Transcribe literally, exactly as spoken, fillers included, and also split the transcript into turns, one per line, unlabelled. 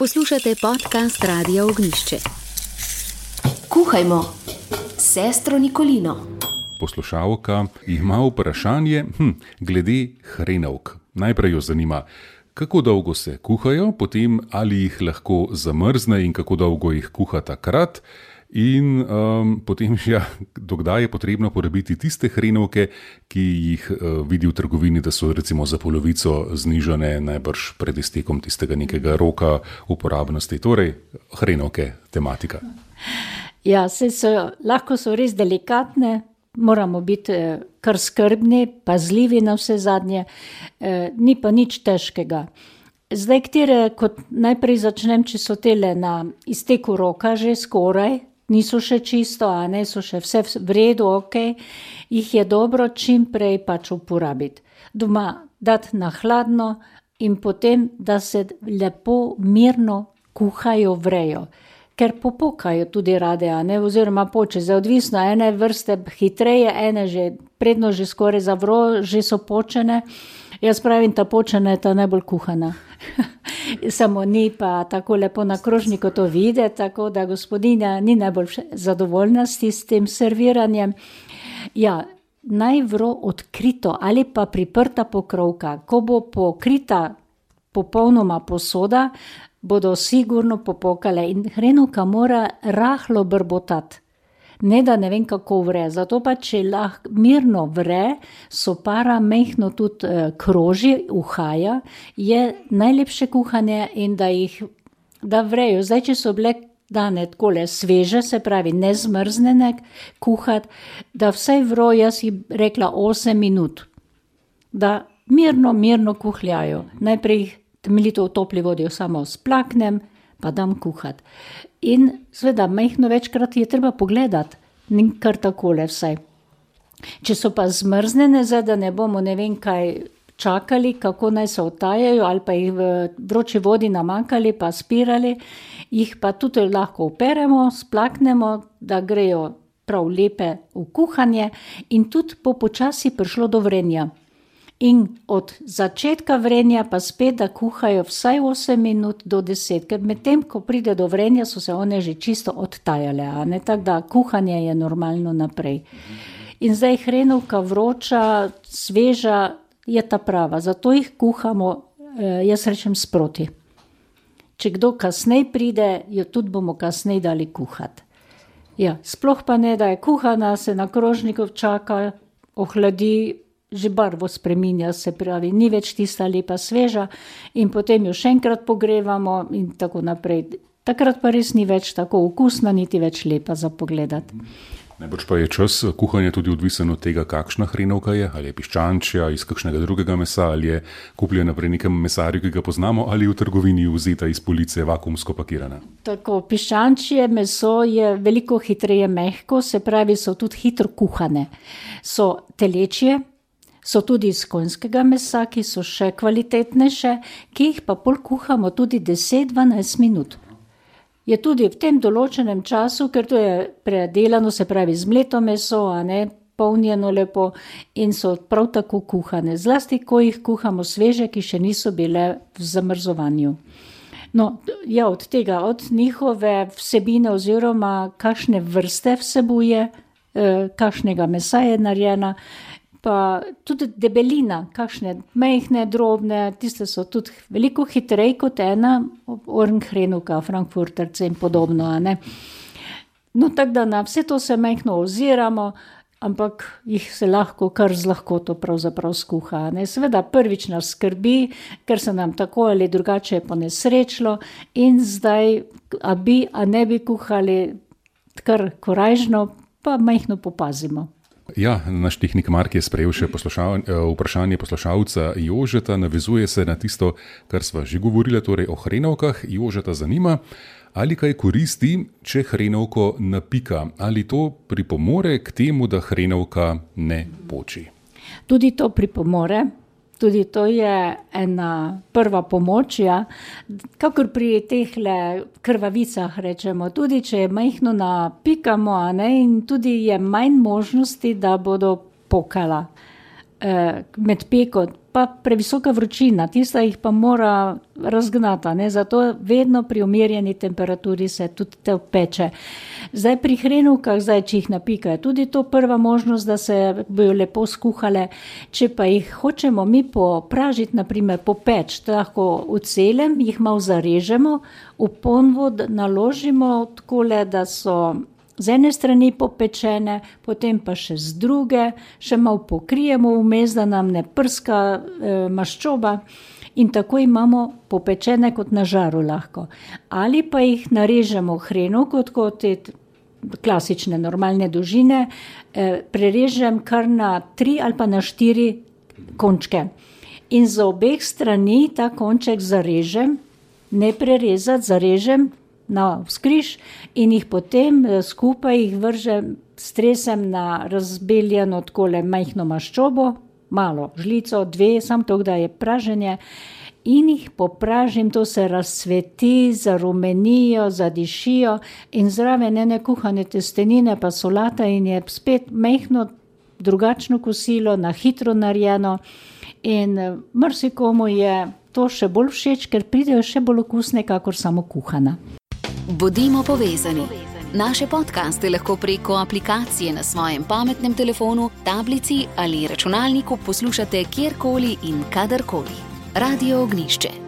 Poslušate podcast Radia Ognjišče.
Kuhajmo, sestro Nikolino.
Poslušalka ima vprašanje hm, glede hrenovk. Najprej jo zanima, kako dolgo se kuhajo, potem ali jih lahko zamrzne in kako dolgo jih kuha takrat. In um, potem še, ja, dokdaj je potrebno porabiti tiste hrenovke, ki jih uh, vidi v trgovini, da so recimo za polovico znižane, najbrž pred iztekom tistega nekega roka uporabnosti. Torej, hrenovke, tematika.
Ja, se so, lahko so res delikatne, moramo biti eh, kar skrbni, pazljivi na vse zadnje, eh, ni pa nič težkega. Zdaj, katere, kot najprej začnem, če so tele na izteku roka že skoraj, niso še čisto, a ne, so še vse v redu, ok, jih je dobro čim prej pač uporabiti. Doma dati na hladno in potem, da se lepo mirno kuhajo, vrejo. Ker popukajo tudi rade, a ne, oziroma poče, zdaj odvisno, ene vrste hitreje, ene že predno že skoraj zavro, že so počene. Jaz pravim, ta počena je ta najbolj kuhana. Samo ni pa tako lepo na krožniku to vide, tako da gospodinja ni najbolj zadovoljna s tistim serviranjem. Ja, naj vro odkrito ali pa priprta pokrovka. Ko bo pokrita popolnoma posoda, bodo sigurno popokale in hrenovka mora rahlo brbotati. Ne da ne vem kako vre, zato pa če lahko mirno vre, so para mehno tudi eh, kroži, uhaja, je najlepše kuhanje in da jih da vrejo. Zdaj, če so bile dane takole sveže, se pravi nezmrznene kuhati, da vsaj vro, jaz jih rekla osem minut, da mirno, mirno kuhljajo. Najprej jih temeljito v topli vodi samo splaknem, pa dam kuhati. In seveda, mehno večkrat je treba pogledati, ni kar takole vsaj. Če so pa zmrznene, zdaj, da ne bomo ne vem kaj čakali, kako naj se otajajo, ali pa jih v vroči vodi namakali, pa spirali, jih pa tudi lahko operemo, splaknemo, da grejo prav lepe v kuhanje in tudi po počasi prišlo do vrenja. In od začetka vrenja pa spet, da kuhajo vsaj osem minut do deset, ker med tem, ko pride do vrenja, so se one že čisto odtajale, a ne, tako da kuhanje je normalno naprej. In zdaj hrenovka vroča, sveža je ta prava, zato jih kuhamo, eh, jaz rečem sproti. Če kdo kasnej pride, jo tudi bomo kasnej dali kuhati. Ja, sploh pa ne, da je kuhana, se na krožniku čaka, ohladi, že barvo spreminja, se pravi, ni več tista lepa sveža in potem jo še enkrat pogrevamo in tako naprej. Takrat pa res ni več tako okusna, niti več lepa za pogledati.
Najbrž pa je čas kuhanja tudi odvisen od tega, kakšna hrenovka je, ali je piščančja, iz kakšnega drugega mesa, ali je kupljena pri nekem mesarju, ki ga poznamo, ali v trgovini vzeta iz police vakuumsko pakirana. Tako,
piščančje meso je veliko hitreje mehko, se pravi, so tudi hitro kuhane. So telečje, so tudi iz konjskega mesa, ki so še kvalitetnejše, ki jih pa pol kuhamo tudi deset do dvanajst minut. Je tudi v tem določenem času, ker to je predelano, se pravi zmleto meso, a ne polnjeno lepo in so prav tako kuhane. Zlasti, ko jih kuhamo sveže, ki še niso bile v zamrzovanju. No, ja, od tega, od njihove vsebine oziroma kakšne vrste vsebuje, eh, kakšnega mesa je narejena, pa tudi debelina, kakšne mehne, drobne, tiste so tudi veliko hitreje kot ena orenhrenovka, frankfurterce in podobno, a ne. No, tako da na vse to se mehno oziramo, ampak jih se lahko kar z lahkoto pravzaprav skuha, ne. Seveda prvič nas skrbi, ker se nam tako ali drugače ponesrečilo in zdaj, a bi, a ne bi kuhali kar korajžno, pa mehno popazimo.
Ja, naš tehnik Mark je sprejel še poslušal, vprašanje poslušalca Jožeta, navezuje se na tisto, kar sva že govorila, torej o hrenovkah. Jožeta zanima, ali kaj koristi, če hrenovko napika, ali to pripomore k temu, da hrenovka ne poči.
Tudi to pripomore, tudi to je ena prva pomoč, ja. Kakor pri tehle krvavicah rečemo, tudi če je majhno napikamo, a ne, in tudi je manj možnosti, da bodo pokala. med peko, pa previsoka vročina, tista jih pa mora razgnata, ne? Zato vedno pri umirjeni temperaturi se tudi te peče. Zdaj pri hrenovkah, zdaj, če jih napikajo, tudi to prva možnost, da se bojo lepo skuhale. Če pa jih hočemo mi popražiti, naprimer popeč, lahko v celem, jih malo zarežemo, v ponvo naložimo takole, da so z ene strani popečene, potem pa še z druge, še malo pokrijemo vmes, da nam ne prska e, maščoba in tako imamo popečene kot na žaru lahko. Ali pa jih narežemo hrenovko, kot te klasične normalne dolžine, e, prerežem kar na tri ali pa na štiri končke. In za obeh strani ta konček zarežem, ne prerezati, zarežem na vzkriž in jih potem skupaj jih vržem, stresem na razbeljeno takole majhno maščobo, malo žlico, dve, samo to, da je praženje, in jih popražim, to se razcveti, zarumenijo, zadišijo in zraven ene kuhane testenine pa solata in je spet majhno drugačno kosilo, na hitro narejeno in marsikomu je to še bolj všeč, ker pridejo še bolj okusne, kakor samo kuhana.
Bodimo povezani. Naše podcaste lahko preko aplikacije na svojem pametnem telefonu, tablici ali računalniku poslušate kjerkoli in kadarkoli. Radio Ognjišče.